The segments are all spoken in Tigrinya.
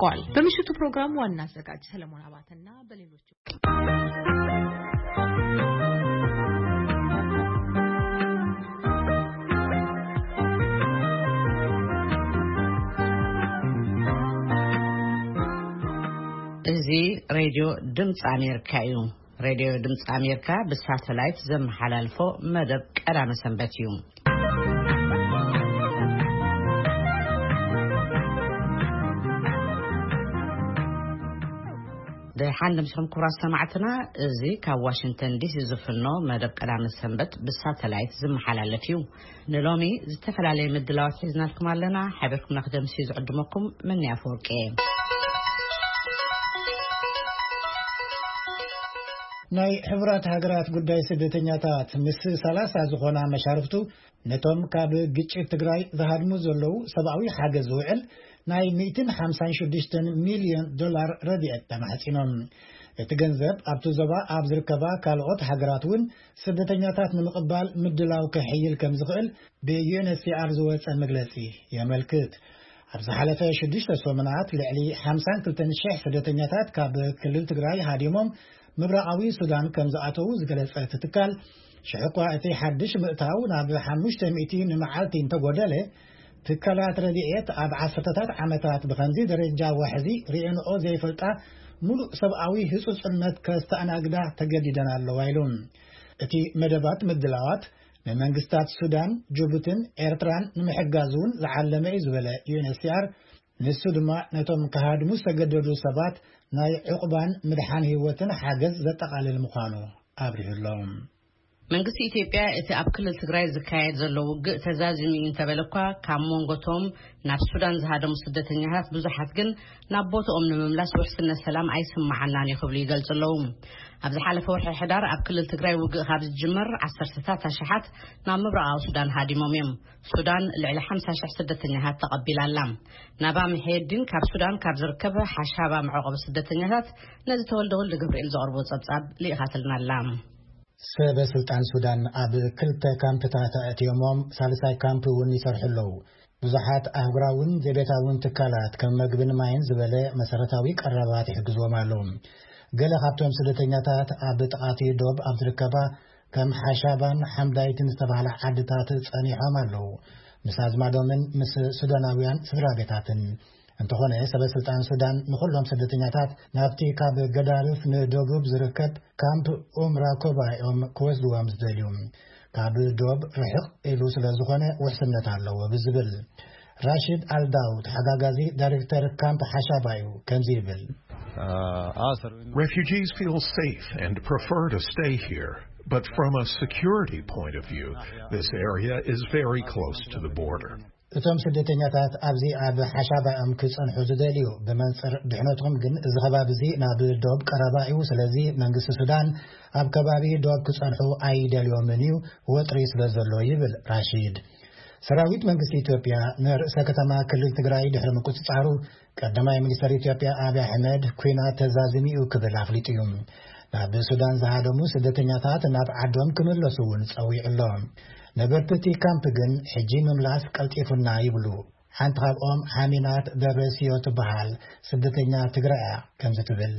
ቋል በምሽቱ ፕሮግራም ዋና አዘጋጅ ሰለሞን አባተና በሌሎች እዚ ሬድዮ ድምፂ ኣሜሪካ እዩ። ሬድዮ ድምፂ ኣሜሪካ ብሳተላይት ዘመሓላልፎ መደብ ቀዳመ ሰንበት እዩ። ደሓን ድምፅኹም ክቡራት ሰማዕትና፣ እዚ ካብ ዋሽንግተን ዲሲ ዝፍኖ መደብ ቀዳመ ሰንበት ብሳተላይት ዝመሓላለፍ እዩ። ንሎሚ ዝተፈላለየ ምድላዋት ሒዝናልኩም ኣለና። ሓቢርኩምና ክደምሲ ዝዕድመኩም መኒ ኣፈወርቂ እየ። ናይ ሕቡራት ሃገራት ጉዳይ ስደተኛታት ምስ ሰላሳ ዝኾና መሻርፍቱ ነቶም ካብ ግጭት ትግራይ ዝሃድሙ ዘለዉ ሰብኣዊ ሓገዝ ዝውዕል ናይ ሚእትን ሓምሳን ሽዱሽተን ሚልዮን ዶላር ረድኤት ተማሕጺኖም። እቲ ገንዘብ ኣብቲ ዞባ ኣብ ዝርከባ ካልኦት ሃገራት እውን ስደተኛታት ንምቕባል ምድላው ከሕይል ከም ዝኽእል ብዩኤንኤችሲኣር ዝወጸ መግለጺ የመልክት። ኣብ ዝሓለፈ ሽዱሽተ ሰሙናት ልዕሊ ሓምሳን ክልተን ሽሕ ስደተኛታት ካብ ክልል ትግራይ ሃዲሞም ምብራቓዊ ሱዳን ከም ዝኣተዉ ዝገለጸ እቲ ትካል፣ ሽሕ እኳ እቲ ሓድሽ ምእታው ናብ ሓሙሽተ ሚእቲ ንመዓልቲ እንተጎደለ፣ ትካላት ረድኤት ኣብ ዓሰርተታት ዓመታት ብኸምዚ ደረጃ ዋሕዚ ርእየንኦ ዘይፈልጣ ሙሉእ ሰብኣዊ ህጹጽነት ከስተኣናግዳ ተገዲደን ኣለዋ ኢሉ። እቲ መደባት ምድላዋት ንመንግስታት ሱዳን፣ ጅቡትን ኤርትራን ንምሕጋዝ እውን ዝዓለመ እዩ ዝበለ ዩኤንኤችሲኣር፣ ንሱ ድማ ነቶም ክሃድሙ ዝተገደዱ ሰባት ናይ ዕቑባን ምድሓን ህይወትን ሓገዝ ዘጠቓልል ምዃኑ ኣብሪሁ ኣሎ። መንግስቲ ኢትዮጵያ እቲ ኣብ ክልል ትግራይ ዝካየድ ዘሎ ውግእ ተዛዚሙ እዩ እንተበለ እኳ፣ ካብ መንጎቶም ናብ ሱዳን ዝሃደሙ ስደተኛታት ብዙሓት ግን ናብ ቦታኦም ንምምላስ ውሕስነት ሰላም ኣይስምዓናን እዩ ክብሉ ይገልጹ ኣለዉ። ኣብ ዝሓለፈ ወርሒ ሕዳር ኣብ ክልል ትግራይ ውግእ ካብ ዝጅመር ዓሰርተታት ኣሽሓት ናብ ምብራቓዊ ሱዳን ሃዲሞም እዮም። ሱዳን ልዕሊ ሓምሳ ሽሕ ስደተኛታት ተቐቢላ ኣላ። ናባ ምሒየዲን ካብ ሱዳን ካብ ዝርከብ ሓሻባ መዕቆቢ ስደተኛታት ነዚ ተወልደ ወልደ ገብርኤል ዘቕርቦ ጸብጻብ ልኢኻትልና ኣላ። ሰበ ስልጣን ሱዳን ኣብ ክልተ ካምፕታት ኣእትዮሞም ሳልሳይ ካምፕ እውን ይሰርሑ ኣለዉ። ብዙሓት ኣህጉራውን ዘይቤታውን ትካላት ከም መግብን ማይን ዝበለ መሰረታዊ ቀረባት ይሕግዝዎም ኣለዉ። ገለ ካብቶም ስደተኛታት ኣብ ጥቓቲ ዶብ ኣብ ዝርከባ ከም ሓሻባን ሓምዳይትን ዝተባህላ ዓድታት ጸኒሖም ኣለዉ። ምስ ኣዝማዶምን ምስ ሱዳናውያን ስድራ ቤታትን። እንተኾነ ሰበ ስልጣን ሱዳን ንኹሎም ስደተኛታት ናብቲ ካብ ገዳርፍ ንደቡብ ዝርከብ ካምፕ ኡምራ ኮባ እዮም ክወስድዎም ዝደልዩ። ካብ ዶብ ርሕቕ ኢሉ ስለ ዝኾነ ውሕስነት ኣለዎ ብዝብል ራሺድ ኣልዳው ተሓጋጋዚ ዳይሬክተር ካምፕ ሓሻባ እዩ ከምዚ ይብል። Refugees feel safe and prefer to stay here, but from a security point of view, this area is very close to the border. እቶም ስደተኛታት ኣብዚ ኣብ ሓሻባ እዮም ክጸንሑ ዝደልዩ። ብመንጽር ድሕነቶም ግን እዚ ከባቢ እዚ ናብ ዶብ ቀረባ እዩ። ስለዚ መንግስቲ ሱዳን ኣብ ከባቢ ዶብ ክጸንሑ ኣይደልዮምን እዩ፣ ወጥሪ ስለ ዘሎ ይብል ራሺድ። ሰራዊት መንግስቲ ኢትዮጵያ ንርእሰ ከተማ ክልል ትግራይ ድሕሪ ምቁጽጻሩ ቀዳማይ ሚኒስተር ኢትዮጵያ ኣብይ ኣሕመድ ኲናት ተዛዚሙ እዩ ክብል ኣፍሊጡ እዩ። ናብ ሱዳን ዝሃደሙ ስደተኛታት ናብ ዓዶም ክምለሱ እውን ጸዊዑ ኣሎ። ነበርቲ እቲ ካምፕ ግን ሕጂ ምምላስ ቀልጢፉና ይብሉ። ሓንቲ ካብኦም ሓሚናት ደብረስዮ ትበሃል ስደተኛ ትግራይ እያ ከምዚ ትብል።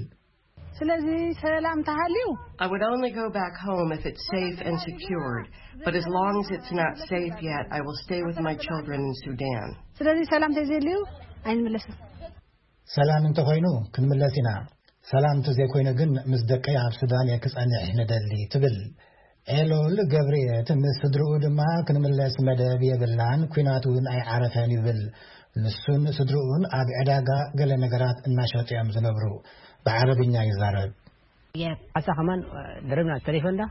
ስለዚ ሰላም ተሃልዩ I would only go back home if it's safe and secured, but as long as it's not safe yet, I will stay with my children in Sudan. ስለዚ ሰላም ተዘይልዩ ኣይንምለስን። ሰላም እንተኾይኑ ክንምለስ ኢና። ሰላም እንተዘይኮይኑ ግን ምስ ደቀይ ኣብ ሱዳን እየ ክጸንሕ ንደሊ ትብል ኤሎል ገብርኤት። ምስ ስድርኡ ድማ ክንምለስ መደብ የብልናን፣ ኲናት እውን ኣይዓረፈን ይብል። ንሱን ስድርኡን ኣብ ዕዳጋ ገለ ነገራት እናሸጡ እዮም ዝነብሩ። ብዓረብኛ ይዛረብ። ሓሳ ከማን ደረብና ተሌፎን ዳ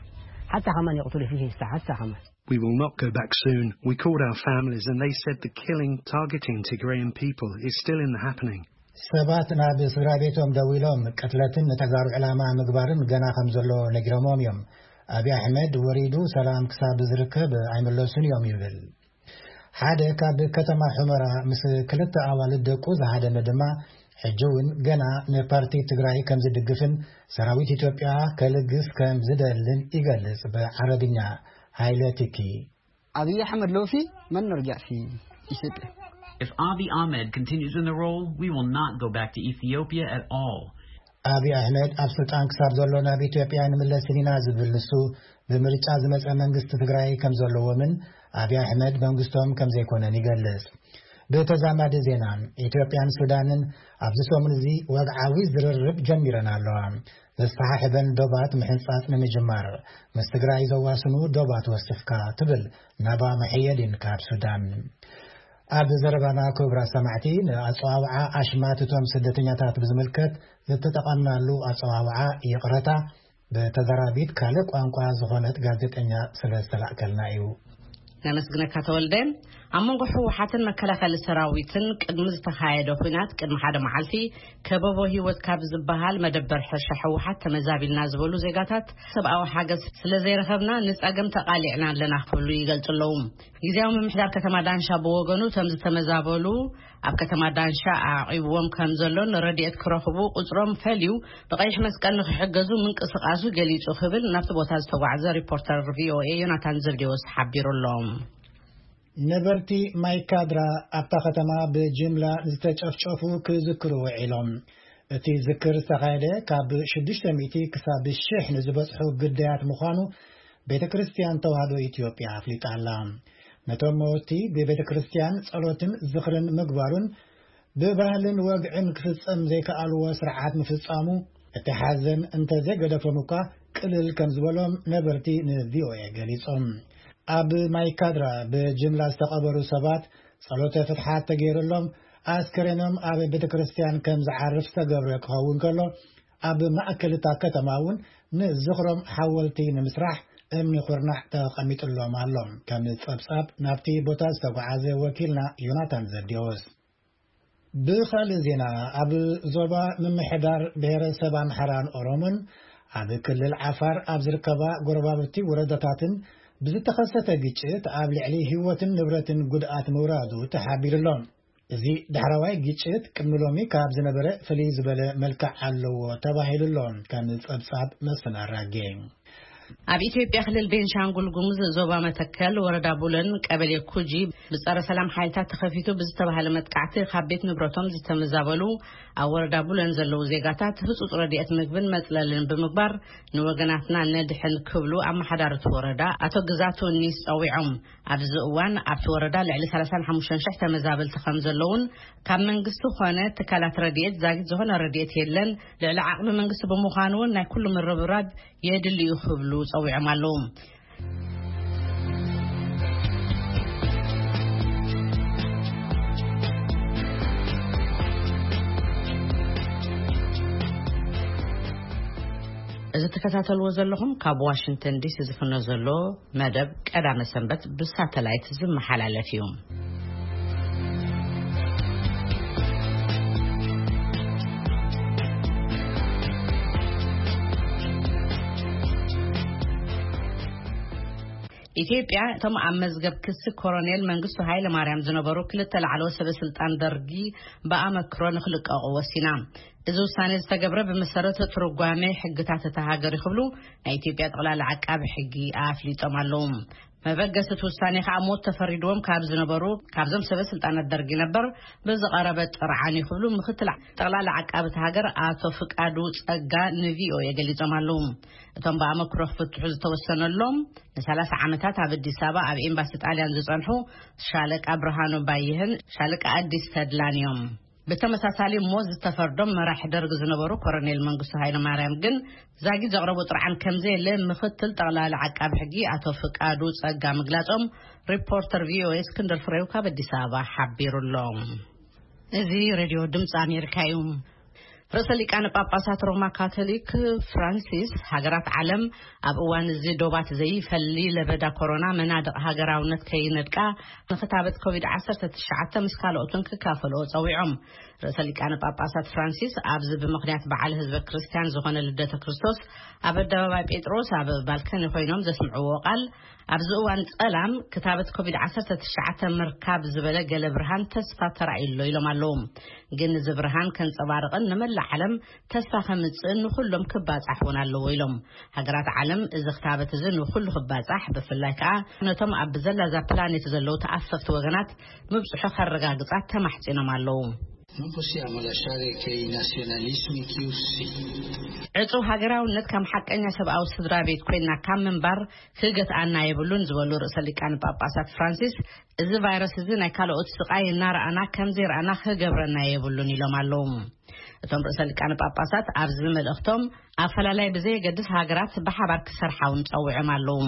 ሓሳ ከማን ይቕትሉ ፊሽን ስታ ሓሳ ከማን We will not go back soon. We called our families and they said the killing targeting Tigrayan people is still in the happening. ሰባት ናብ ስድራ ቤቶም ደዊሎም ቅትለትን ንተጋሩ ዕላማ ምግባርን ገና ከም ዘሎ ነጊሮሞም እዮም። ኣብይ ኣሕመድ ወሪዱ ሰላም ክሳብ ዝርከብ ኣይምለሱን እዮም ይብል። ሓደ ካብ ከተማ ሑመራ ምስ ክልተ ኣዋልድ ደቁ ዝሃደመ ድማ ሕጂ እውን ገና ንፓርቲ ትግራይ ከም ዝድግፍን ሰራዊት ኢትዮጵያ ከልግስ ከም ዝደልን ይገልጽ ብዓረብኛ። ሃይለ ቲኪ። أبي أحمد لوفي من نرجع في إثيوبيا. If Abiy Ahmed continues in the role, we will not go back to Ethiopia at all. ኣቢ ኣሕመድ ኣብ ስልጣን ክሳብ ዘሎ ናብ ኢትዮጵያ ንምለስን ኢና ዝብል ንሱ፣ ብምርጫ ዝመጸ መንግስቲ ትግራይ ከም ዘለዎምን ኣቢ ኣሕመድ መንግስቶም ከም ዘይኮነን ይገልጽ። ብተዛማዲ ዜና፣ ኢትዮጵያን ሱዳንን ኣብዚ ሰሙን እዚ ወግዓዊ ዝርርብ ጀሚረን ኣለዋ። ዘሰሓሕበን ዶባት ምሕንጻጽ ንምጅማር፣ ምስ ትግራይ ዘዋስኑ ዶባት ወሲኽካ፣ ትብል ናባ መሐየዲን ካብ ሱዳን። ኣብ ዘረባና ክቡራት ሰማዕቲ፣ ንኣጸዋውዓ ኣሽማት እቶም ስደተኛታት ብዝምልከት ዝተጠቐምናሉ ኣጸዋውዓ ይቕረታ ብተዘራቢት ካልእ ቋንቋ ዝኾነት ጋዜጠኛ ስለ ዝተላእከልና እዩ። ነመስግነካ ተወልደ። ኣብ መንጎ ህወሓትን መከላኸሊ ሰራዊትን ቅድሚ ዝተኻየደ ኲናት ቅድሚ ሓደ መዓልቲ ከበቦ ህይወት ካብ ዝበሃል መደበር ሕርሻ ህወሓት ተመዛቢልና ዝበሉ ዜጋታት ሰብኣዊ ሓገዝ ስለ ዘይረኸብና ንጸገም ተቓሊዕና ኣለና ክብሉ ይገልጹ ኣለዉ። ግዝያዊ ምምሕዳር ከተማ ዳንሻ ብወገኑ እቶም ዝተመዛበሉ ኣብ ከተማ ዳንሻ ኣዕቂብዎም ከም ዘሎን ረድኤት ክረኽቡ ቁጽሮም ፈልዩ ብቐይሕ መስቀል ንክሕገዙ ምንቅስቃሱ ገሊጹ ክብል ናብቲ ቦታ ዝተጓዕዘ ሪፖርተር ቪኦኤ ዮናታን ዘብዴዎስ ሓቢሩ ኣሎ። ነበርቲ ማይካድራ ኣብታ ከተማ ብጅምላ ዝተጨፍጨፉ ክዝክሩ ውዒሎም። እቲ ዝክር ዝተኻየደ ካብ ሽዱሽተ ሚእቲ ክሳብ ሽሕ ንዝበጽሑ ግዳያት ምዃኑ ቤተ ክርስቲያን ተዋህዶ ኢትዮጵያ ኣፍሊጣ ኣላ። ነቶም መወቲ ብቤተ ክርስቲያን ጸሎትን ዝኽርን ምግባሩን ብባህልን ወግዕን ክፍጸም ዘይከኣልዎ ስርዓት ምፍጻሙ፣ እቲ ሓዘን እንተዘይገደፎም እኳ ቅልል ከም ዝበሎም ነበርቲ ንቪኦኤ ገሊጾም። ኣብ ማይካድራ ብጅምላ ዝተቐበሩ ሰባት ጸሎተ ፍትሓት ተገይሩሎም፣ ኣስከሬኖም ኣብ ቤተ ክርስቲያን ከም ዝዓርፍ ዝተገብረ ክኸውን ከሎ፣ ኣብ ማእከል እታ ከተማ እውን ንዝኽሮም ሓወልቲ ንምስራሕ እምኒ ኩርናዕ ተቐሚጥሎም ኣሎ። ከም ጸብጻብ ናብቲ ቦታ ዝተጓዓዘ ወኪልና ዮናታን ዘብዴዎስ። ብኻልእ ዜና፣ ኣብ ዞባ ምምሕዳር ብሔረሰብ ኣምሓራን ኦሮሞን ኣብ ክልል ዓፋር ኣብ ዝርከባ ጎረባብቲ ወረዳታትን ብዝተኸሰተ ግጭት ኣብ ልዕሊ ህይወትን ንብረትን ጉድኣት ምውራዱ ተሓቢሩ ኣሎ። እዚ ዳሕረዋይ ግጭት ቅድሚ ሎሚ ካብ ዝነበረ ፍልይ ዝበለ መልክዕ ኣለዎ ተባሂሉ ኣሎ። ከም ጸብጻብ መስፍን ኣራጌ። ኣብ ኢትዮጵያ ክልል ቤንሻንጉል ጉሙዝ ዞባ መተከል ወረዳ ቡለን ቀበሌ ኩጂ ብጸረ ሰላም ሓይልታት ተኸፊቱ ብዝተባሃለ መጥቃዕቲ ካብ ቤት ንብረቶም ዝተመዛበሉ ኣብ ወረዳ ቡለን ዘለዉ ዜጋታት ህጹጽ ረድኤት ምግብን መጽለልን ብምግባር ንወገናትና ነድሕን ክብሉ ኣመሓዳሪ እቲ ወረዳ ኣቶ ግዛቱ ኒስ ጸዊዖም። ኣብዚ እዋን ኣብቲ ወረዳ ልዕሊ ሰላሳን ሓሙሽተን ሽሕ ተመዛበልቲ ከም ዘለዉን ካብ መንግስቲ ኾነ ትካላት ረድኤት ዛጊት ዝኾነ ረድኤት የለን፣ ልዕሊ ዓቕሚ መንግስቲ ብምዃኑ እውን ናይ ኩሉ ምርብራብ የድሊ እዩ ክብሉ ጸዊዖም ኣለዉ። እዚ ትከታተልዎ ዘለኹም ካብ ዋሽንግተን ዲሲ ዝፍኖ ዘሎ መደብ ቀዳመ ሰንበት ብሳተላይት ዝመሓላለፍ እዩ። ኢትዮጵያ እቶም ኣብ መዝገብ ክሲ ኮሎኔል መንግስቱ ሃይለ ማርያም ዝነበሩ ክልተ ላዕለዎት ሰበ ስልጣን ደርጊ ብኣመክሮ ንክልቀቑ ወሲና። እዚ ውሳኔ ዝተገብረ ብመሰረት ትርጓሜ ሕግታት እታ ሃገር እዩ ክብሉ ናይ ኢትዮጵያ ጠቕላላ ዓቃቢ ሕጊ ኣፍሊጦም ኣለዉ። መበገሲ እቲ ውሳኔ ከዓ ሞት ተፈሪድዎም ካብ ዝነበሩ ካብዞም ሰበ ስልጣናት ደርጊ ነበር ብዝቐረበ ጥርዓን እዩ ክብሉ ምክትል ጠቕላላ ዓቃቢ እታ ሃገር ኣቶ ፍቃዱ ጸጋ ንቪኦኤ ገሊጾም ኣለዉ። እቶም ብኣመክሮ ክፍትሑ ዝተወሰነሎም ንሰላሳ ዓመታት ኣብ ኣዲስ ኣበባ ኣብ ኤምባሲ ጣልያን ዝጸንሑ ሻለቃ ብርሃኑ ባይህን ሻለቃ ኣዲስ ተድላን እዮም። ብተመሳሳሊ ሞት ዝተፈርዶም መራሒ ደርግ ዝነበሩ ኮሎኔል መንግስቱ ሃይለማርያም ግን ዛጊት ዘቕረቦ ጥርዓን ከምዘየለ ምክትል ጠቕላሊ ዓቃቢ ሕጊ ኣቶ ፍቃዱ ጸጋ ምግላጾም ሪፖርተር ቪኦኤ እስክንድር ፍሬው ካብ ኣዲስ ኣበባ ሓቢሩ ኣሎ። እዚ ሬድዮ ድምፂ ኣሜሪካ እዩ። ርእሰ ሊቃነ ጳጳሳት ሮማ ካቶሊክ ፍራንሲስ፣ ሃገራት ዓለም ኣብ እዋን እዚ ዶባት ዘይፈሊ ለበዳ ኮሮና መናድቕ ሃገራውነት ከይነድቃ ንክታበት ኮቪድ ዓሰርተ ትሽዓተ ምስ ካልኦትን ክካፈልኦ ጸዊዖም። ርእሰ ሊቃነ ጳጳሳት ፍራንሲስ ኣብዚ ብምኽንያት በዓል ህዝበ ክርስቲያን ዝኾነ ልደተ ክርስቶስ ኣብ ኣደባባይ ጴጥሮስ ኣብ ባልከኒ ኮይኖም ዘስምዕዎ ቃል፣ ኣብዚ እዋን ጸላም ክታበት ኮቪድ ዓሰርተ ትሽዓተ ምርካብ ዝበለ ገለ ብርሃን ተስፋ ተራእዩ ኣሎ ኢሎም ኣለዉ። ግን እዚ ብርሃን ከንጸባርቕን ንመላእ ዓለም ተስፋ ከምጽእን ንኹሎም ክባጻሕ እውን ኣለዎ ኢሎም። ሃገራት ዓለም እዚ ክታበት እዚ ንኹሉ ክባጻሕ፣ ብፍላይ ከኣ ነቶም ኣብ ብዘላዛ ፕላኔት ዘለዉ ተኣፈፍቲ ወገናት ምብጽሑ ከረጋግጻ ተማሕጺኖም ኣለዉ። Non possiamo lasciare che i nazionalismi chiusi ዕጹ ሃገራውነት ከም ሓቀኛ ሰብኣዊ ስድራ ቤት ኮይና ካብ ምንባር ክገትኣና የብሉን ዝበሉ ርእሰ ሊቃነ ጳጳሳት ፍራንሲስ፣ እዚ ቫይረስ እዚ ናይ ካልኦት ስቓይ እናረኣና ከም ዘይረኣና ክገብረና የብሉን ኢሎም ኣለዉ። እቶም ርእሰ ሊቃነ ጳጳሳት ኣብዚ መልእኽቶም፣ ኣፈላላይ ብዘየገድስ ሃገራት ብሓባር ክሰርሓ እውን ጸዊዖም ኣለዉ።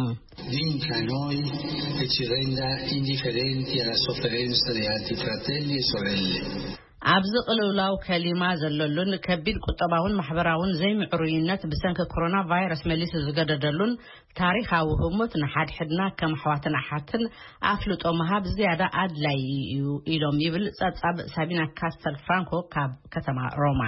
Vinca noi e ci renda indifferenti alla sofferenza di altri fratelli e sorelle. ኣብዚ ቅልውላው ከሊማ ዘለሉን ከቢድ ቁጠባውን ማሕበራውን ዘይምዕሩይነት ብሰንኪ ኮሮና ቫይረስ መሊሱ ዝገደደሉን ታሪኻዊ ህሞት፣ ንሓድሕድና ከም ኣሕዋትን ኣሓትን ኣፍልጦ ምሃብ ዝያዳ ኣድላዪ እዩ ኢሎም ይብል ጸብጻብ ሳቢና ካስተል ፍራንኮ ካብ ከተማ ሮማ።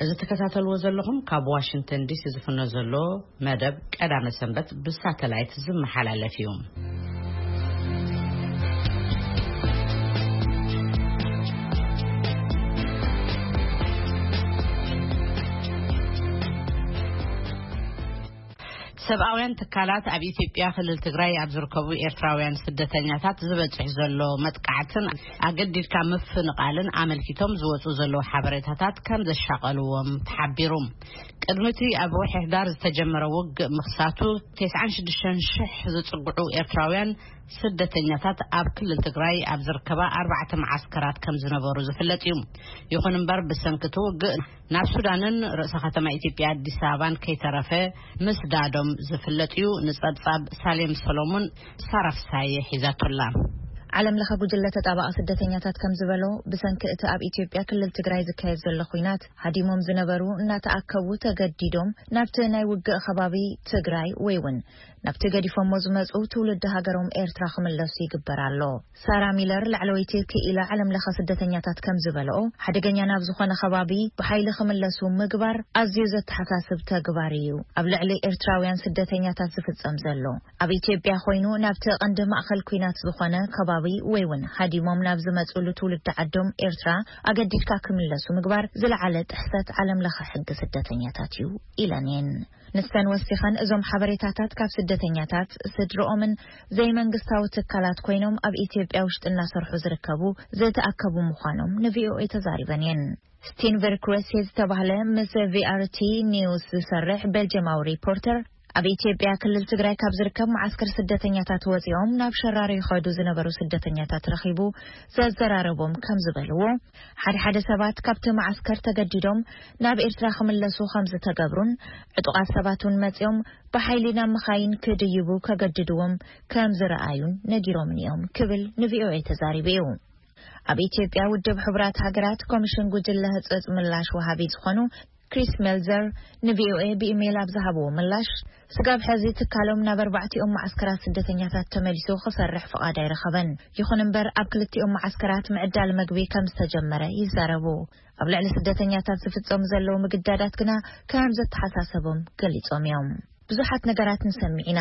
እዚ ትከታተልዎ ዘለኹም ካብ ዋሽንግተን ዲሲ ዝፍኖ ዘሎ መደብ ቀዳመ ሰንበት ብሳተላይት ዝመሓላለፍ እዩ። ሰብኣውያን ትካላት ኣብ ኢትዮጵያ ክልል ትግራይ ኣብ ዝርከቡ ኤርትራውያን ስደተኛታት ዝበጽሕ ዘሎ መጥቃዕትን ኣገዲድካ ምፍንቓልን ኣመልኪቶም ዝወጹ ዘለዉ ሓበሬታታት ከም ዘሻቐልዎም ተሓቢሩ። ቅድሚ እቲ ኣብ ወርሒ ሕዳር ዝተጀመረ ውግእ ምኽሳቱ፣ ተስዓን ሽዱሽተን ሽሕ ዝጽግዑ ኤርትራውያን ስደተኛታት ኣብ ክልል ትግራይ ኣብ ዝርከባ ኣርባዕተ መዓስከራት ከም ዝነበሩ ዝፍለጥ እዩ። ይኹን እምበር፣ ብሰንኪ እቲ ውግእ ናብ ሱዳንን ርእሰ ከተማ ኢትዮጵያ ኣዲስ ኣበባን ከይተረፈ ምስዳዶም ዝፍለጥ እዩ። ንጸብጻብ ሳሌም ሰሎሞን ሳራ ፍሳየ ሒዛቶላ። ዓለም ለኸ ጉጅለ ተጣባቒ ስደተኛታት ከም ዝበሎ፣ ብሰንኪ እቲ ኣብ ኢትዮጵያ ክልል ትግራይ ዝካየድ ዘሎ ኲናት፣ ሃዲሞም ዝነበሩ እናተኣከቡ ተገዲዶም ናብቲ ናይ ውግእ ከባቢ ትግራይ ወይ እውን ናብቲ ገዲፎሞ ዝመጹ ትውልዲ ሃገሮም ኤርትራ ክምለሱ ይግበር ኣሎ። ሳራ ሚለር፣ ላዕለወይቲ ክኢላ ዓለም ለኸ ስደተኛታት ከም ዝበልኦ፣ ሓደገኛ ናብ ዝኾነ ከባቢ ብሓይሊ ክምለሱ ምግባር ኣዝዩ ዘተሓሳስብ ተግባር እዩ ኣብ ልዕሊ ኤርትራውያን ስደተኛታት ዝፍጸም ዘሎ። ኣብ ኢትዮጵያ ኮይኑ ናብቲ ቀንዲ ማእከል ኲናት ዝኾነ ከባቢ ወይ እውን ሃዲሞም ናብ ዝመጽሉ ትውልዲ ዓዶም ኤርትራ ኣገዲድካ ክምለሱ ምግባር ዝለዓለ ጥሕሰት ዓለም ለኸ ሕጊ ስደተኛታት እዩ ኢለን እየን። ንሰን ወሲኸን፣ እዞም ሓበሬታታት ካብ ስደተኛታት፣ ስድርኦምን ዘይመንግስታዊ ትካላት ኮይኖም ኣብ ኢትዮጵያ ውሽጢ እናሰርሑ ዝርከቡ ዝተኣከቡ ምዃኖም ንቪኦኤ ተዛሪበን እየን። ስቲንቨር ክረሴ ዝተባህለ ምስ ቪኣርቲ ኒውስ ዝሰርሕ ቤልጅማዊ ሪፖርተር፣ ኣብ ኢትዮጵያ ክልል ትግራይ ካብ ዝርከብ መዓስከር ስደተኛታት ወፂኦም ናብ ሸራሮ ይኸዱ ዝነበሩ ስደተኛታት ረኺቡ ዘዘራረቦም ከም ዝበልዎ፣ ሓደ ሓደ ሰባት ካብቲ መዓስከር ተገዲዶም ናብ ኤርትራ ክምለሱ ከም ዝተገብሩን፣ ዕጡቓት ሰባት እውን መፂኦም ብሓይሊ ናብ መኻይን ክድይቡ ከገድድዎም ከም ዝረኣዩን ነጊሮምኒ እዮም ክብል ንቪኦኤ ተዛሪቡ እዩ። ኣብ ኢትዮጵያ ውድብ ሕቡራት ሃገራት ኮሚሽን ጉጅለ ህጹጽ ምላሽ ወሃቢ ዝኾኑ ክሪስ ሜልዘር ንቪኦኤ ብኢሜይል ኣብ ዝሃብዎ ምላሽ፣ ስጋብ ሕዚ ትካሎም ናብ ኣርባዕቲኦም መዓስከራት ስደተኛታት ተመሊሱ ክሰርሕ ፍቓድ ኣይረኸበን። ይኹን እምበር፣ ኣብ ክልቲኦም መዓስከራት ምዕዳል መግቢ ከም ዝተጀመረ ይዛረቡ። ኣብ ልዕሊ ስደተኛታት ዝፍጸሙ ዘለዉ ምግዳዳት ግና ከም ዘተሓሳሰቦም ገሊጾም እዮም። ብዙሓት ነገራት ንሰምዕ ኢና።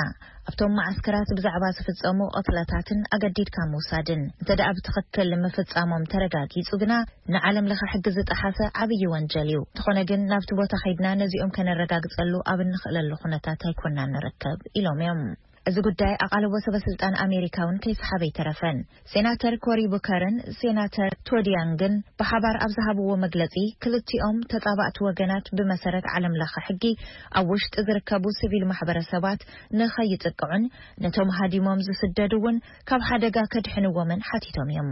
ኣብቶም መዓስከራት ብዛዕባ ዝፍጸሙ ቅትለታትን ኣገዲድካ ምውሳድን፣ እንተ ደኣ ብትኽክል ምፍጻሞም ተረጋጊጹ ግና፣ ንዓለም ለኸ ሕጊ ዝጠሓሰ ዓብዪ ወንጀል እዩ። እንተኾነ ግን፣ ናብቲ ቦታ ኸይድና ነዚኦም ከነረጋግጸሉ ኣብ እንኽእለሉ ኩነታት ኣይኮናን ንርከብ ኢሎም እዮም። እዚ ጉዳይ ኣቓልቦ ሰበ ስልጣን ኣሜሪካ እውን ከይሰሓበ ኣይተረፈን። ሴናተር ኮሪ ቡከርን ሴናተር ቶድ ያንግን ብሓባር ኣብ ዝሃብዎ መግለጺ፣ ክልቲኦም ተጻባእቲ ወገናት ብመሰረት ዓለም ለኸ ሕጊ ኣብ ውሽጢ ዝርከቡ ሲቪል ማሕበረሰባት ንኸይጥቅዑን ነቶም ሃዲሞም ዝስደዱ እውን ካብ ሓደጋ ከድሕንዎምን ሓቲቶም እዮም።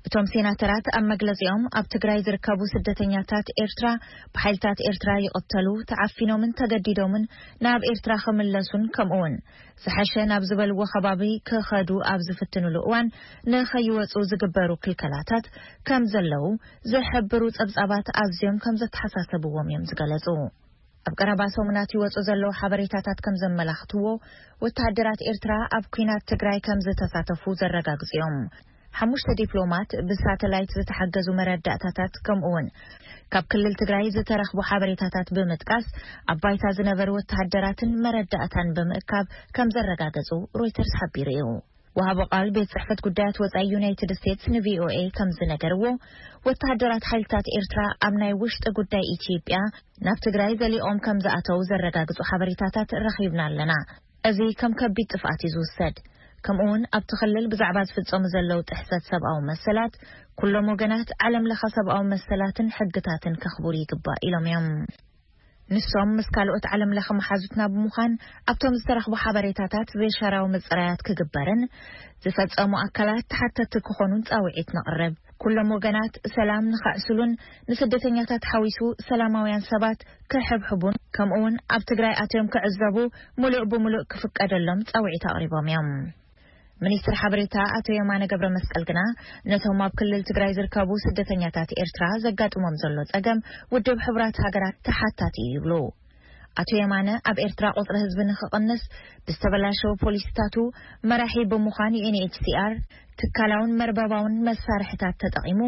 እቶም ሴናተራት ኣብ መግለጺኦም፣ ኣብ ትግራይ ዝርከቡ ስደተኛታት ኤርትራ ብሓይልታት ኤርትራ ይቕተሉ፣ ተዓፊኖምን ተገዲዶምን ናብ ኤርትራ ክምለሱን፣ ከምኡውን ዝሐሸ ናብ ዝበልዎ ከባቢ ክኸዱ ኣብ ዝፍትኑሉ እዋን ንኸይወጹ ዝግበሩ ክልከላታት ከም ዘለዉ ዝሕብሩ ጸብጻባት ኣዝዮም ከም ዘተሓሳሰብዎም እዮም ዝገለጹ። ኣብ ቀረባ ሰሙናት ይወጹ ዘለዉ ሓበሬታታት ከም ዘመላኽትዎ፣ ወተሃደራት ኤርትራ ኣብ ኲናት ትግራይ ከም ዝተሳተፉ ዘረጋግጹ እዮም። ሓሙሽተ ዲፕሎማት ብሳተላይት ዝተሓገዙ መረዳእታታት፣ ከምኡውን ካብ ክልል ትግራይ ዝተረኽቡ ሓበሬታታት ብምጥቃስ፣ ኣብ ባይታ ዝነበሩ ወተሃደራትን መረዳእታን ብምእካብ ከም ዘረጋገጹ ሮይተርስ ሓቢሩ እዩ። ወሃቢ ቃል ቤት ጽሕፈት ጉዳያት ወጻኢ ዩናይትድ ስቴትስ ንቪኦኤ ከም ዝነገርዎ፣ ወተሃደራት ሓይልታት ኤርትራ ኣብ ናይ ውሽጢ ጉዳይ ኢትዮጵያ ናብ ትግራይ ዘሊኦም ከም ዝኣተዉ ዘረጋግጹ ሓበሬታታት ረኺብና ኣለና። እዚ ከም ከቢድ ጥፍኣት እዩ ዝውሰድ። ከምኡውን ኣብቲ ክልል ብዛዕባ ዝፍጸሙ ዘለዉ ጥሕሰት ሰብኣዊ መሰላት፣ ኩሎም ወገናት ዓለም ለኸ ሰብኣዊ መሰላትን ሕግታትን ከኽብሩ ይግባእ ኢሎም እዮም። ንሶም ምስ ካልኦት ዓለም ለኸ መሓዙትና ብምዃን፣ ኣብቶም ዝተረኽቡ ሓበሬታታት ዘይሻራዊ ምጽራያት ክግበርን ዝፈጸሙ ኣካላት ተሓተቲ ክኾኑን ጻውዒት ነቕርብ። ኩሎም ወገናት ሰላም ንኸዕስሉን ንስደተኛታት ሓዊሱ ሰላማውያን ሰባት ክሕብሕቡን፣ ከምኡውን ኣብ ትግራይ ኣትዮም ክዕዘቡ ምሉእ ብምሉእ ክፍቀደሎም ጻውዒት ኣቕሪቦም እዮም። ሚኒስትር ሓበሬታ ኣቶ የማነ ገብረ መስቀል ግና፣ ነቶም ኣብ ክልል ትግራይ ዝርከቡ ስደተኛታት ኤርትራ ዘጋጥሞም ዘሎ ጸገም ውድብ ሕቡራት ሃገራት ተሓታቲ እዩ ይብሉ። ኣቶ የማነ፣ ኣብ ኤርትራ ቁጽሪ ህዝቢ ንኽቕንስ ብዝተበላሸወ ፖሊሲታቱ መራሒ ብምዃን ዩ ኤን ኤች ሲ ኣር ትካላውን መርበባውን መሳርሕታት ተጠቒሙ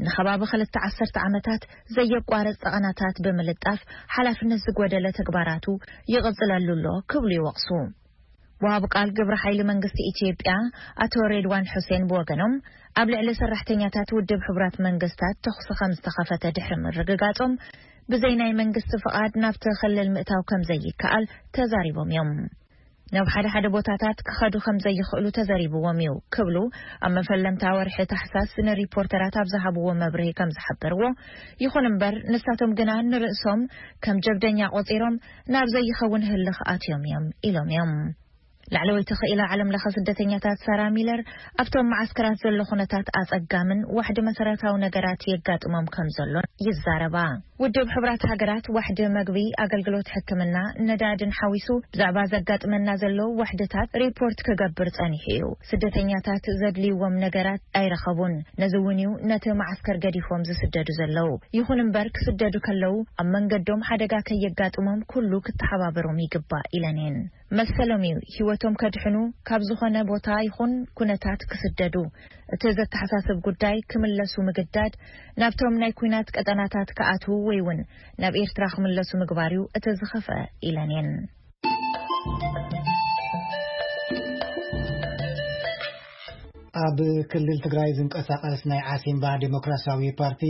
ንኸባቢ ክልተ ዓሰርተ ዓመታት ዘየቋርጽ ጠቐናታት ብምልጣፍ ሓላፍነት ዝጎደለ ተግባራቱ ይቕጽለሉ ኣሎ ክብሉ ይወቕሱ። ወሃብ ቃል ግብረ ሓይሊ መንግስቲ ኢትዮጵያ ኣቶ ሬድዋን ሑሴን ብወገኖም፣ ኣብ ልዕሊ ሰራሕተኛታት ውድብ ሕቡራት መንግስታት ተኹሲ ከም ዝተኸፈተ ድሕሪ ምርግጋጾም፣ ብዘይ ናይ መንግስቲ ፍቓድ ናብቲ ክልል ምእታው ከም ዘይከኣል ተዛሪቦም እዮም። ናብ ሓደ ሓደ ቦታታት ክኸዱ ከም ዘይኽእሉ ተዘሪብዎም እዩ ክብሉ ኣብ መፈለምታ ወርሒ ታሕሳስ ንሪፖርተራት ኣብ ዝሃብዎ መብርሂ ከም ዝሓበርዎ፣ ይኹን እምበር ንሳቶም ግና ንርእሶም ከም ጀብደኛ ቆጺሮም ናብ ዘይኸውን ህልኽ ኣትዮም እዮም ኢሎም እዮም። ላዕለወይቲ ክኢላ ዓለም ለኸ ስደተኛታት ሳራ ሚለር፣ ኣብቶም መዓስከራት ዘሎ ኩነታት ኣጸጋምን ዋሕዲ መሰረታዊ ነገራት የጋጥሞም ከም ዘሎን ይዛረባ። ውድብ ሕቡራት ሃገራት ዋሕዲ መግቢ፣ ኣገልግሎት ሕክምና፣ ነዳድን ሓዊሱ ብዛዕባ ዘጋጥመና ዘሎ ዋሕድታት ሪፖርት ክገብር ጸኒሑ እዩ። ስደተኛታት ዘድልይዎም ነገራት ኣይረኸቡን። ነዚ እውን እዩ ነቲ መዓስከር ገዲፎም ዝስደዱ ዘለዉ። ይኹን እምበር ክስደዱ ከለዉ ኣብ መንገዶም ሓደጋ ከየጋጥሞም ኩሉ ክተሓባበሮም ይግባእ ኢለን እየን። መሰሎም እዩ ህይወቶም ከድሕኑ ካብ ዝኾነ ቦታ ይኹን ኩነታት ክስደዱ። እቲ ዘተሓሳስብ ጉዳይ ክምለሱ ምግዳድ፣ ናብቶም ናይ ኲናት ቀጠናታት ክኣትዉ ወይ እውን ናብ ኤርትራ ክምለሱ ምግባር እዩ እቲ ዝኸፍአ ኢለን እየን። ኣብ ክልል ትግራይ ዝንቀሳቐስ ናይ ዓሲምባ ዴሞክራሲያዊ ፓርቲ፣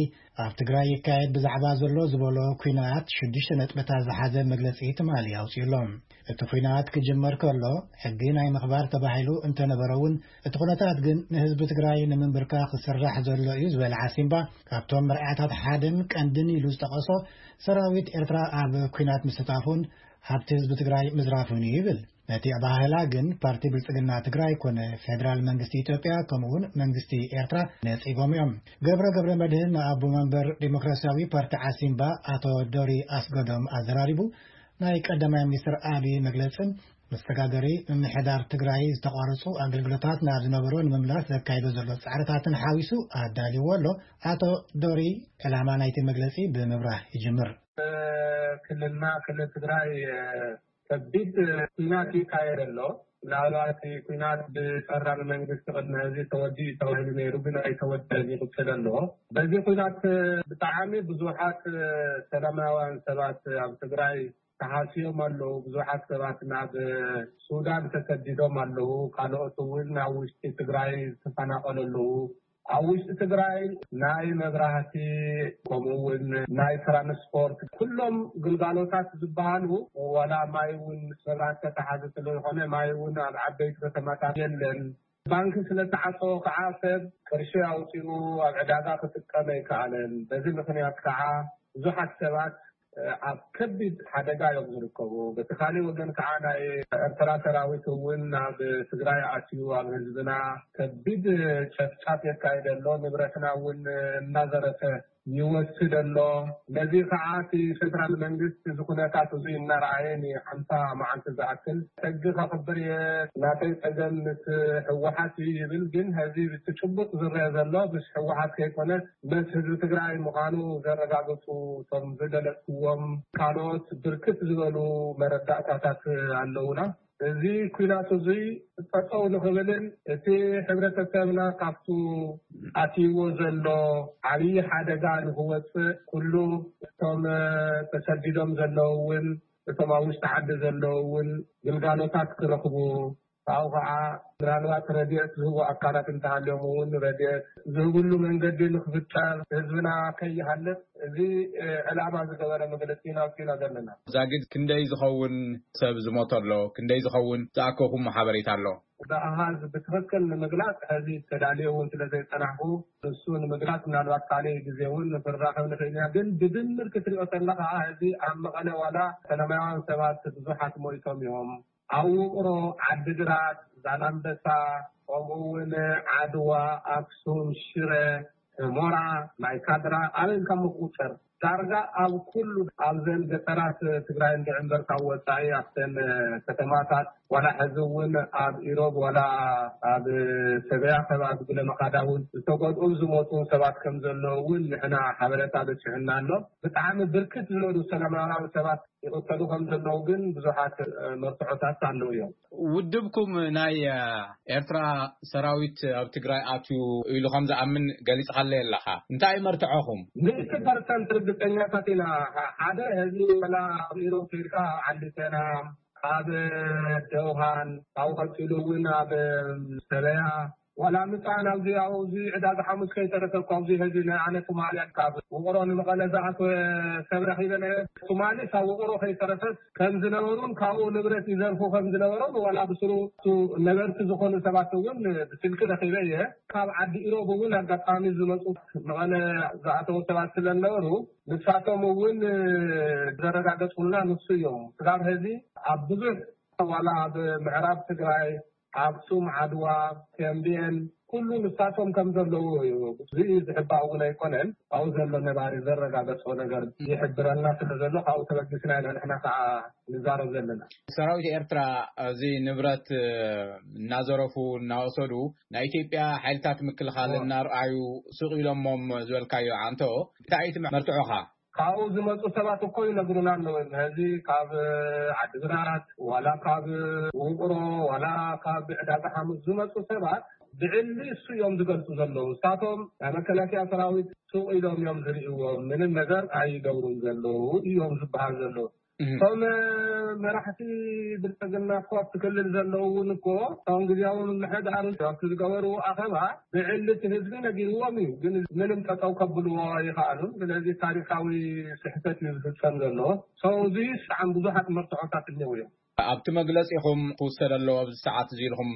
ኣብ ትግራይ ይካየድ ብዛዕባ ዘሎ ዝበሎ ኲናት ሽዱሽተ ነጥብታት ዝሓዘ መግለጺ ትማሊ ኣውጺኡ ኣሎ። እቲ ኲናት ክጅመር ከሎ ሕጊ ናይ ምኽባር ተባሂሉ እንተነበረ እውን፣ እቲ ኩነታት ግን ንህዝቢ ትግራይ ንምንብርካኽ ዝስራሕ ዘሎ እዩ ዝበለ ዓሲምባ፣ ካብቶም መርኣያታት ሓደን ቀንድን ኢሉ ዝጠቐሶ፣ ሰራዊት ኤርትራ ኣብ ኲናት ምስታፉን ሃብቲ ህዝቢ ትግራይ ምዝራፉን እዩ ይብል። ነቲ ኣባህላ ግን ፓርቲ ብልጽግና ትግራይ ኮነ ፌደራል መንግስቲ ኢትዮጵያ ከምኡውን መንግስቲ ኤርትራ ነጺጎም እዮም። ገብረ ገብረ መድህን ንኣቦ መንበር ዴሞክራሲያዊ ፓርቲ ዓሲምባ ኣቶ ዶሪ ኣስገዶም ኣዘራሪቡ፣ ናይ ቀዳማይ ሚኒስትር ኣቢ መግለጽን መሰጋገሪ ምምሕዳር ትግራይ ዝተቋረጹ ኣገልግሎታት ናብ ዝነበሮ ንምምላስ ዘካይዶ ዘሎ ጻዕርታትን ሓዊሱ ኣዳልዎ ኣሎ። ኣቶ ዶሪ ዕላማ ናይቲ መግለጺ ብምብራህ ይጅምር። ክልልና ክልል ትግራይ ከቢድ ኲናት ይካየድ ኣሎ። ምናልባት ኲናት ብፈራሚ መንግስቲ ቅድሚ ሕዚ ተወዲኡ ተባሂሉ ነይሩ፣ ግን ኣይተወደን፣ ይቕጽል ኣሎ። በዚ ኲናት ብጣዕሚ ብዙሓት ሰላማውያን ሰባት ኣብ ትግራይ ተሃስዮም ኣለዉ። ብዙሓት ሰባት ናብ ሱዳን ተሰዲዶም ኣለዉ። ካልኦት እውን ናብ ውሽጢ ትግራይ ዝተፈናቐሉ ኣለዉ። ኣብ ውሽጢ ትግራይ ናይ መብራህቲ፣ ከምኡ እውን ናይ ትራንስፖርት፣ ኩሎም ግልጋሎታት ዝበሃሉ፣ ዋላ ማይ እውን ምስ መብራህቲ ተተሓዘ ስለ ዝኾነ፣ ማይ እውን ኣብ ዓበይቲ ከተማታት የለን። ባንኪ ስለ ተዓፀወ ከዓ ሰብ ቅርሺ ኣውፂኡ ኣብ ዕዳጋ ክጥቀም ኣይከኣለን። በዚ ምኽንያት ከዓ ብዙሓት ሰባት ኣብ ከቢድ ሓደጋ እዮም ዝርከቡ። በቲ ካሊእ ወገን ከዓ ናይ ኤርትራ ሰራዊት እውን ናብ ትግራይ ኣትዩ ኣብ ህዝብና ከቢድ ጨፍጫፍ የካይድ ኣሎ። ንብረትና እውን እናዘረፈ ይወስድ ኣሎ። ነዚ ከዓ እቲ ፌደራል መንግስቲ እዚ ኩነታት እዚ እናረኣየ ንሓምሳ መዓልቲ ዝኣክል ሕጊ ከኽብር እየ፣ ናተይ ፀገም ምስ ህወሓት እዩ ይብል። ግን ሕዚ ብቲ ጭቡጥ ዝረአ ዘሎ ምስ ህወሓት ከይኮነስ ምስ ህዝቢ ትግራይ ምዃኑ ዘረጋገፁ እቶም ዝገለፅዎም ካልኦት ብርክት ዝበሉ መረዳእታታት ኣለውና። እዚ ኩናት እዚ ጠጠው ንኽብልን እቲ ሕብረተሰብና ካብቱ ኣትይዎ ዘሎ ዓብዪ ሓደጋ ንኽወፅእ ኩሉ እቶም ተሰዲዶም ዘለዉ እውን እቶም ኣብ ውሽጢ ዓዲ ዘለዉ እውን ግልጋሎታት ክረኽቡ ካብኡ ከዓ ምናልባት ረድኤት ዝህቡ ኣካላት እንተሃልዮም እውን ረድኤት ዝህብሉ መንገዲ ንክፍጠር ህዝብና ከይሃልቅ እዚ ዕላማ ዝገበረ መግለፂ ኢና ኣውፂና ዘለና። ዛጊድ ክንደይ ዝኸውን ሰብ ዝሞተ ኣሎ? ክንደይ ዝኸውን ዝኣከኹም ሓበሬታ ኣሎ? ብኣሃዝ ብትኽክል ንምግላፅ ሕዚ ተዳልዮ እውን ስለ ዘይፀናሕኩ ንሱ ንምግላፅ ምናልባት ካልእ ግዜ እውን ክንራኸብ ንኽእል ኢና። ግን ብድምር ክትሪኦ ከለኻ ሕዚ ኣብ መቐለ ዋላ ሰላማውያን ሰባት ብዙሓት ሞይቶም እዮም። ኣብ ውቕሮ፣ ዓዲግራት፣ ዛላምበሳ፣ ከምኡ እውን ዓድዋ፣ ኣክሱም፣ ሽረ፣ ሑመራ፣ ማይካድራ ኣበይ ኢልካ ምቁፅር ዳርጋ ኣብ ኩሉ ኣብዘን ገጠራት ትግራይ እንድዒ እምበር ካብ ወፃኢ ኣብተን ከተማታት ዋላ ሕዚ እውን ኣብ ኢሮብ ዋላ ኣብ ሰበያ ከባቢ ጉለመኻዳ እውን ዝተጎድኡን ዝሞቱን ሰባት ከም ዘለዉ እውን ንሕና ሓበሬታ በፂሑና ኣሎ። ብጣዕሚ ብርክት ዝበሉ ሰላማውያን ሰባት ይቕተሉ ከም ዘለዉ ግን ብዙሓት መርትዖታት ኣለዉ እዮም። ውድብኩም ናይ ኤርትራ ሰራዊት ኣብ ትግራይ ኣትዩ ኢሉ ከም ዝኣምን ገሊጽካለይ ኣለኻ። እንታይ እዩ መርትዖኹም? ሚእቲ ፐርሰንት ርግጸኛታት ኢና። ሓደ፣ ሕዚ ወላ ኣብ ኢሮብ ከይድካ ዓዲ ሴና፣ ኣብ ደውሃን፣ ካብኡ ቀጺሉ እውን ኣብ ሰበያ፣ ዋላ ምጻን ኣብዚ ኣብዚ ዕዳጋ ሓሙስ ከይተረፈ እኮ ኣብዚ ሕዚ ናይ ኣነ ትማሊ ካብ ውቕሮ ንመቐለ ዝኣተወ ሰብ ረኺበ ነይረ። ትማሊ ካብ ውቕሮ ከይተረፈ ከም ዝነበሩን ካብኡ ንብረት ይዘርፉ ከም ዝነበሮም ዋላ ብስሩ እሱ ነበርቲ ዝኾኑ ሰባት እውን ብስልኪ ረኺበ እየ። ካብ ዓዲ ኢሮብ እውን ኣጋጣሚ ዝመፁ መቐለ ዝኣተዉ ሰባት ስለ ዝነበሩ ንሳቶም እውን ዘረጋገፁልና ንሱ እዮም። ስጋብ ሕዚ ኣብ ብዙሕ ዋላ ኣብ ምዕራብ ትግራይ ኣክሱም፣ ዓድዋ፣ ተምቤን ኩሉ ንሳቶም ከም ዘለዉ እዩ። እዚ ዝሕባእ እውን ኣይኮነን። ኣብኡ ዘሎ ነባሪ ዘረጋገጾ ነገር ይሕብረልና ስለ ዘሎ ካብኡ ተበጊስና ኢና ንሕና ከዓ ንዛረብ ዘለና። ሰራዊት ኤርትራ እዚ ንብረት እናዘረፉ እናወሰዱ ናይ ኢትዮጵያ ሓይልታት ምክልኻል እናርኣዩ ስቕ ኢሎሞም ዝበልካዮ ኣንቶ እንታይ እዩ እቲ መርትዖኻ? ካብኡ ዝመፁ ሰባት እኮ ይነግሩና ኣለዉ። ሕዚ ካብ ዓዲግራት ዋላ ካብ ውቕሮ ዋላ ካብ ዕዳጋ ሓሙስ ዝመፁ ሰባት ብዕሊ እሱ እዮም ዝገልፁ ዘለዉ። ንሳቶም ናይ መከላከያ ሰራዊት ሱቕ ኢሎም እዮም ዝርእይዎም፣ ምንም ነገር ኣይገብሩን ዘለዉ እዮም ዝበሃል ዘለዉ። እቶም መራሕቲ ብልፅግና እኮ ኣብቲ ክልል ዘለዉ እውን እኮ እቶም ግዜያዊ ምምሕዳር ኣብቲ ዝገበርዎ ኣኸባ ብዕሊ እቲ ህዝቢ ነጊርዎም እዩ፣ ግን ምንም ጠጠው ከብልዎ ኣይኸኣሉን። ስለዚ ታሪካዊ ስሕተት እዩ ዝፍፀም ዘሎ። ሰው እዚ ብጣዕሚ ብዙሓት መርትዖታት እኒው እዮም። ኣብቲ መግለፂኹም ክውሰድ ኣለዎ ኣብዚ ሰዓት እዚ ኢልኩም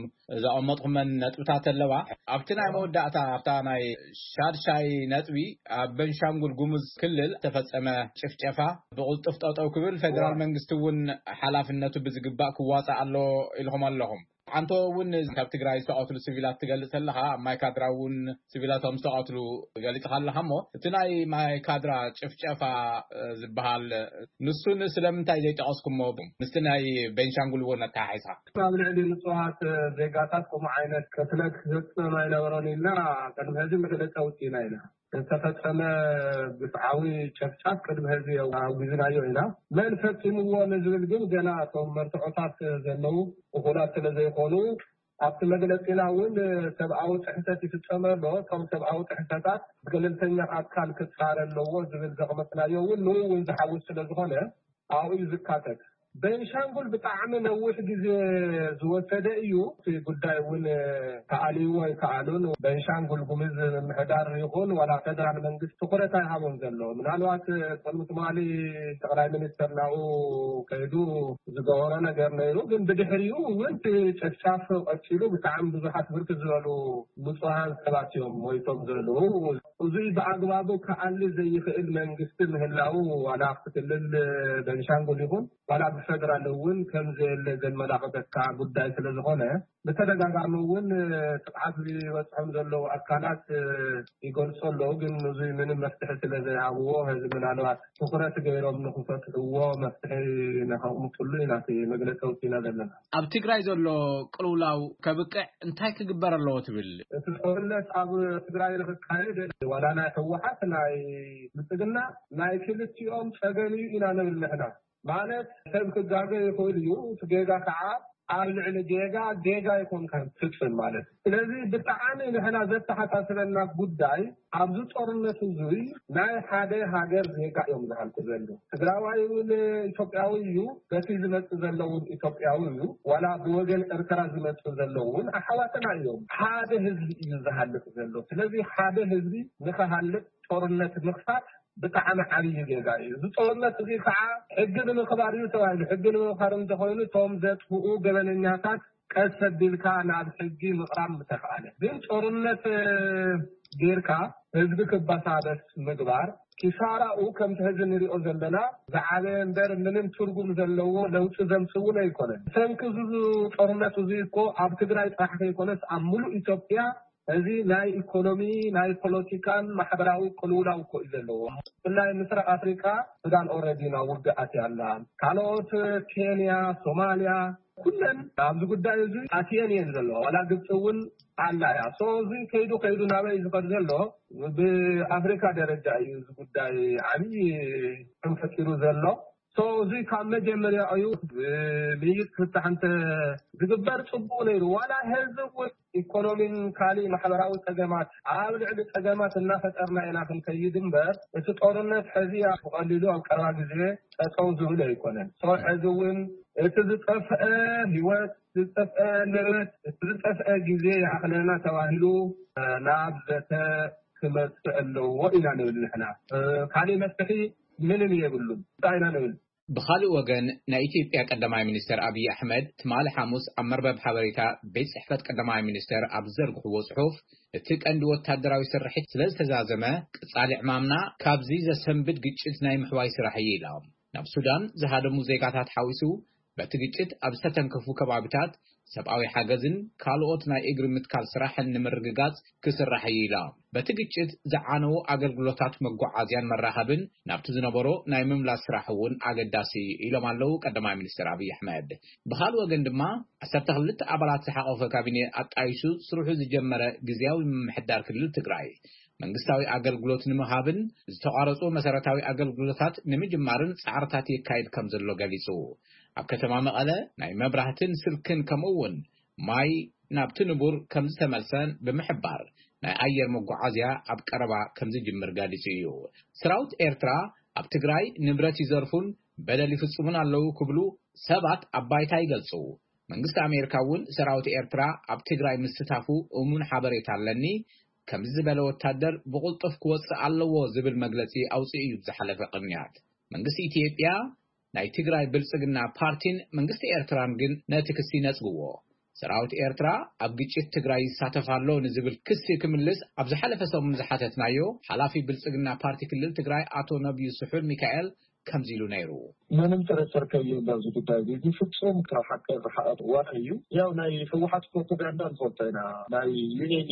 ዘቐመጥኩመን ነጥብታት ኣለዋ። ኣብቲ ናይ መወዳእታ ኣብታ ናይ ሻድሻይ ነጥቢ ኣብ በንሻንጉል ጉሙዝ ክልል ተፈጸመ ጭፍጨፋ ብቕልጡፍ ጠጠው ክብል ፌደራል መንግስቲ እውን ሓላፍነቱ ብዝግባእ ክዋፃእ ኣሎ ኢልኩም ኣለኹም። ሓንቶ እውን ካብ ትግራይ ዝተቐትሉ ሲቪላት ትገልጽ ኣለኻ፣ ኣብ ማይካድራ እውን ሲቪላት ከም ዝተቐትሉ ገሊጽካ ኣለኻ። እሞ እቲ ናይ ማይካድራ ጭፍጨፋ ዝበሃል ንሱን ስለምንታይ ዘይጠቐስኩሞ? ምስቲ ናይ ቤንሻንጉል እውን ኣተሓሒዝካ። ኣብ ልዕሊ ንጹሃት ዜጋታት ከምኡ ዓይነት ቅትለት ክፍጸም ኣይነበሮን ኢልና ቅድሚ ሕዚ መግለጺ ኣውጺእና ኢና። ዝተፈጸመ ግፍዓዊ ጨፍጫፍ ቅድሚ ሕዚ ኣውጊዝናዮ ኢና። መን ፈጺምዎ ንዝብል ግን ገና እቶም መርትዖታት ዘለዉ እኹላት ስለ ዘይኮኑ ኣብቲ መግለጺና እውን ሰብኣዊ ጥሕሰት ይፍጸም ኣሎ። እቶም ሰብኣዊ ጥሕሰታት ገለልተኛ ኣካል ክጻረ ኣለዎ ዝብል ዘቕመጥናዮ እውን ንኡ እውን ዝሓውስ ስለ ዝኾነ ኣብኡ እዩ ዝካተት። ቤንሻንጉል ብጣዕሚ ነዊሕ ግዜ ዝወሰደ እዩ። እቲ ጉዳይ እውን ተኣልይዎ ኣይከኣሉን። ቤንሻንጉል ጉምዝ ምምሕዳር ይኹን ዋላ ፌደራል መንግስቲ ትኹረት ኣይሃቦን ዘሎ። ምናልባት ቅድሚ ትማሊ ጠቕላይ ሚኒስተር ናብኡ ከይዱ ዝገበሮ ነገር ነይሩ። ግን ብድሕሪኡ እውን እቲ ጨፍጫፍ ቀፂሉ ብጣዕሚ ብዙሓት ብርክት ዝበሉ ንፁሃን ሰባት እዮም ሞይቶም ዘለዉ። እዙይ ብኣግባቡ ክኣሊ ዘይኽእል መንግስቲ ምህላዉ ዋላ ኣብቲ ክልል ቤንሻንጉል ይኹን ዋላ ፌደራል እውን ከም ዘየለ ዘመላኽተካ ጉዳይ ስለ ዝኾነ፣ ብተደጋጋሚ እውን ጥቕዓት ዝበፅሖም ዘለዉ ኣካላት ይገልፁ ኣለዉ። ግን እዚ ምንም መፍትሒ ስለ ዘይሃብዎ፣ ሕዚ ምናልባት ትኹረት ገይሮም ንኽፈትሕዎ መፍትሒ ንኸቕምጥሉ ኢና እቲ መግለፂ ኣውፂእና ዘለና። ኣብ ትግራይ ዘሎ ቅልውላው ከብቅዕ እንታይ ክግበር ኣለዎ ትብል? እቲ ጦርነት ኣብ ትግራይ ንኽካየድ ዋላ ናይ ህወሓት ናይ ብልፅግና ናይ ክልቲኦም ፀገም እዩ ኢና ንብል ንሕና። ማለት ሰብ ክጋገ ይኽእል እዩ። እቲ ጌጋ ከዓ ኣብ ልዕሊ ጌጋ ጌጋ ይኮንካ ትፍፅም ማለት እዩ። ስለዚ ብጣዕሚ ንሕና ዘተሓሳስበና ጉዳይ ኣብዚ ጦርነት እዙይ ናይ ሓደ ሃገር ዜጋ እዮም ዝሃልቁ ዘለዉ። ትግራዋይ እውን ኢትዮጵያዊ እዩ። በቲ ዝመፅእ ዘለውን ኢትዮጵያዊ እዩ። ዋላ ብወገን ኤርትራ ዝመፅእ ዘለውን ኣሓዋትና እዮም። ሓደ ህዝቢ እዩ ዝሃልቅ ዘሎ። ስለዚ ሓደ ህዝቢ ንኸሃልቅ ጦርነት ምኽፋት ብጣዕሚ ዓብዪ ጌጋ እዩ። እዚ ጦርነት እዚ ከዓ ሕጊ ንምኽባር እዩ ተባሂሉ። ሕጊ ንምኽባር እንተኾይኑ እቶም ዘጥፍኡ ገበነኛታት ቀስ ኣቢልካ ናብ ሕጊ ምቕራብ ምተኽኣለ። ግን ጦርነት ጌርካ ህዝቢ ክበሳበስ ምግባር ኪሳራኡ ከምቲ ሕዚ ንሪኦ ዘለና ዝዓበየ እምበር ምንም ትርጉም ዘለዎ ለውጢ ዘምፅእ እውን ኣይኮነን። ሰንኪ እዚ ጦርነት እዚ እኮ ኣብ ትግራይ ጥራሕ ከይኮነስ ኣብ ሙሉእ ኢትዮጵያ እዚ ናይ ኢኮኖሚ ናይ ፖለቲካን ማሕበራዊ ቅልውላው እኮ እዩ ዘለዎ። ብፍላይ ምስራቅ ኣፍሪካ ሱዳን ኦልሬዲ ናብ ውግእ ኣትያ ኣላ። ካልኦት ኬንያ፣ ሶማልያ ኩለን ኣብዚ ጉዳይ እዚ ኣትየን እየን ዘለዋ። ዋላ ግብፂ እውን ኣላ እያ። ሶ እዚ ከይዱ ከይዱ ናበይ ዝኸድ ዘሎ ብኣፍሪካ ደረጃ እዩ እዚ ጉዳይ ዓብዪ ሕም ፈጢሩ ዘሎ። ሶ እዚ ካብ መጀመርያ እዩ። ምይይጥ ፍታሕ እንተ ዝግበር ፅቡቅ ነይሩ። ዋላ ህዝብ እውን ኢኮኖሚን ካሊእ ማሕበራዊ ፀገማት ኣብ ልዕሊ ፀገማት እናፈጠርና ኢና ክንከይድ እምበር እቲ ጦርነት ሕዚ ብቀሊሉ ኣብ ቀረባ ግዜ ጠጠው ዝብል ኣይኮነን። ሶ ሕዚ እውን እቲ ዝጠፍአ ህይወት፣ ዝጠፍአ ንብረት፣ እቲ ዝጠፍአ ግዜ ይኣኽለና ተባሂሉ ናብ ዘተ ክመፅእ ኣለዎ ኢና ንብል ንሕና። ካሊእ መፍትሒ ምንም የብሉን። እንታይ ኢና ንብል? ብኻልእ ወገን ናይ ኢትዮጵያ ቀዳማይ ሚኒስተር ኣብይ ኣሕመድ ትማሊ ሓሙስ ኣብ መርበብ ሓበሬታ ቤት ጽሕፈት ቀዳማይ ሚኒስተር ኣብ ዝዘርግሕዎ ጽሑፍ እቲ ቀንዲ ወታደራዊ ስርሒት ስለ ዝተዛዘመ ቀጻሊ ዕማምና ካብዚ ዘሰንብድ ግጭት ናይ ምሕዋይ ስራሕ እዩ ኢላ። ናብ ሱዳን ዝሃደሙ ዜጋታት ሓዊሱ በቲ ግጭት ኣብ ዝተተንከፉ ከባቢታት ሰብኣዊ ሓገዝን ካልኦት ናይ እግሪ ምትካል ስራሕን ንምርግጋጽ ክስራሕ እዩ ኢላ። በቲ ግጭት ዝዓነዉ ኣገልግሎታት መጓዓዝያን መራኸብን ናብቲ ዝነበሮ ናይ ምምላስ ስራሕ እውን ኣገዳሲ እዩ ኢሎም ኣለዉ ቀዳማይ ሚኒስትር ኣብይ ኣሕመድ። ብኻልእ ወገን ድማ ዓሰርተ ክልተ ኣባላት ዝሓቆፈ ካቢኔ ኣጣይሹ ስርሑ ዝጀመረ ግዝያዊ ምምሕዳር ክልል ትግራይ መንግስታዊ ኣገልግሎት ንምሃብን ዝተቋረፁ መሰረታዊ ኣገልግሎታት ንምጅማርን ፃዕርታት የካይድ ከም ዘሎ ገሊፁ። ኣብ ከተማ መቐለ ናይ መብራህትን ስልክን ከምኡ እውን ማይ ናብቲ ንቡር ከም ዝተመልሰን ብምሕባር ናይ ኣየር መጓዓዝያ ኣብ ቀረባ ከም ዝጅምር ገሊፁ እዩ። ሰራዊት ኤርትራ ኣብ ትግራይ ንብረት ይዘርፉን በደል ይፍፅሙን ኣለዉ ክብሉ ሰባት ኣብ ባይታ ይገልፁ። መንግስቲ ኣሜሪካ እውን ሰራዊት ኤርትራ ኣብ ትግራይ ምስታፉ እሙን ሓበሬታ ኣለኒ፣ ከምዚ ዝበለ ወታደር ብቕልጡፍ ክወፅእ ኣለዎ ዝብል መግለፂ ኣውፅኡ እዩ ዝሓለፈ ቅንያት። መንግስቲ ኢትዮጵያ ናይ ትግራይ ብልፅግና ፓርቲን መንግስቲ ኤርትራን ግን ነቲ ክሲ ነፅግዎ። ሰራዊት ኤርትራ ኣብ ግጭት ትግራይ ይሳተፍ ኣሎ ንዝብል ክሲ ክምልስ ኣብ ዝሓለፈ ሰሙን ዝሓተትናዮ ሓላፊ ብልፅግና ፓርቲ ክልል ትግራይ ኣቶ ነብዩ ስሑል ሚካኤል ከምዚ ኢሉ ነይሩ። ምንም ጥርጥር ከይህሉ ኣብዚ ጉዳይ እዚ፣ እዚ ፍጹም ካብ ሓቂ ዝረሓቐ ዋላ እዩ። ያው ናይ ህወሓት ፕሮፓጋንዳ ንፈልጦ ኢና። ናይ ዩኤኢ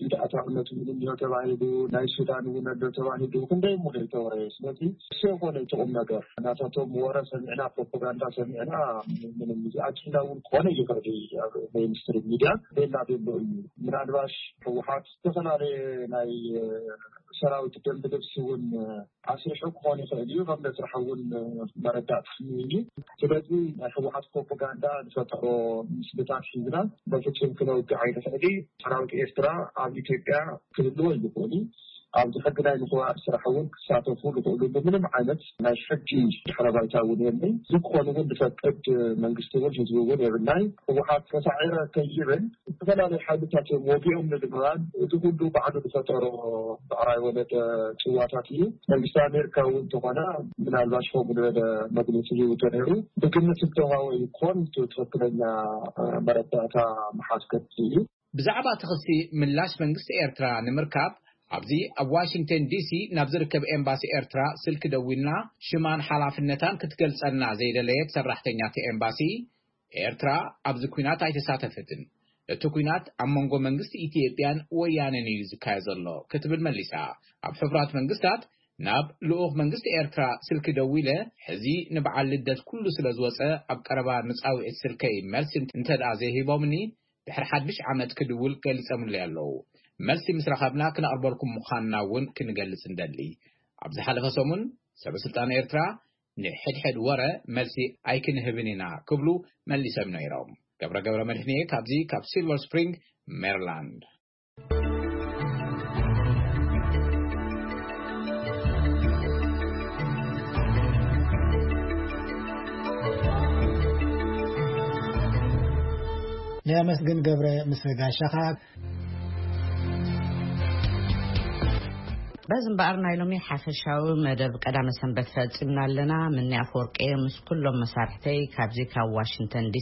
ኢድ ኣታውነት እውን እንዲሆ ተባሂሉ፣ ናይ ሱዳን እውን ኣሎ ተባሂሉ፣ ክንደይ እሞ ዘይተወረየ። ስለዚ እሱ የኮነ እቲ ቁም ነገር። ናታቶም ወረ ሰሚዕና፣ ፕሮፓጋንዳ ሰሚዕና፣ ምንም እዚ ኣጀንዳ እውን ክኾነ ይኽእል እዩ። ኣብ ሜይንስትሪም ሚድያ ቤላ ቤሎ እዩ። ምናልባሽ ህወሓት ዝተፈላለየ ናይ ሰራዊት ደንብ ልብሲ እውን ኣስሪሑ ክኾን ይኽእል እዩ። ከም መስርሒ እውን መረዳእታ እዩ። ስለዚ ናይ ህወሓት ፕሮፓጋንዳ ዝፈጠሮ ምስልታት ሒዝና በፍጹም ክነውግዕ ኣይንኽእል። ሰራዊት ኤርትራ ኣብ ኢትዮጵያ ክህልዎ ይኽእል እዩ። ኣብዚ ሕጊ ናይ ምኽባር ስራሕ እውን ክሳተፉ ዝኽእሉ ብምንም ዓይነት ናይ ሕጊ ድሕረ ባይታ እውን የለን። እዚ ክኾን እውን ዝፈቅድ መንግስቲ እውን ህዝቢ እውን የብልናይ። ህወሓት ተሳዒረ ከይብል ዝተፈላለዩ ሓይልታት እዮም ወጊኦም ንምባል፣ እዚ ኩሉ ባዕሉ ዝፈጠሮ ብዕራይ ወለደ ጽዋታት እዩ። መንግስቲ ኣሜሪካ እውን እንተኾነ ምናልባሽ ከምኡ ዝበለ መግለፂ ሂቡ ተነይሩ። ብግምት እንተዋወ ይኮን እቲ ትኽክለኛ መረዳእታ መሓዝ ከድሊ እዩ። ብዛዕባ እቲ ክሲ ምላሽ መንግስቲ ኤርትራ ንምርካብ ኣብዚ ኣብ ዋሽንግተን ዲሲ ናብ ዝርከብ ኤምባሲ ኤርትራ ስልኪ ደዊልና ሽማን ሓላፍነታን ክትገልጸልና ዘይደለየት ሰራሕተኛ እቲ ኤምባሲ፣ ኤርትራ ኣብዚ ኲናት ኣይተሳተፈትን፣ እቲ ኲናት ኣብ መንጎ መንግስቲ ኢትዮጵያን ወያነን እዩ ዝካየድ ዘሎ ክትብል መሊሳ። ኣብ ሕቡራት መንግስታት ናብ ልኡኽ መንግስቲ ኤርትራ ስልኪ ደዊለ፣ ሕዚ ንበዓል ልደት ኩሉ ስለ ዝወጸ ኣብ ቀረባ ንጻውዒት ስልከይ መልሲ እንተ ደኣ ዘይሂቦምኒ ድሕሪ ሓድሽ ዓመት ክድውል ገሊጸምለይ ኣለዉ። መልሲ ምስ ረኸብና ክነቕርበልኩም ምዃንና እውን ክንገልጽ እንደሊ። ኣብ ዝሓለፈ ሰሙን ሰበ ስልጣን ኤርትራ ንሕድሕድ ወረ መልሲ ኣይክንህብን ኢና ክብሉ መሊሶም ነይሮም። ገብረ ገብረ መድህንየ ካብዚ ካብ ሲልቨር ስፕሪንግ ሜሪላንድ። ነመስግን ገብረ ምስ ጋሻኻ። በዚ እምበኣር ናይ ሎሚ ሓፈሻዊ መደብ ቀዳመ ሰንበት ፈጺምና ኣለና። ምንያ ኣፈወርቂ ምስ ኩሎም መሳርሕተይ ካብዚ ካብ ዋሽንግተን ዲሲ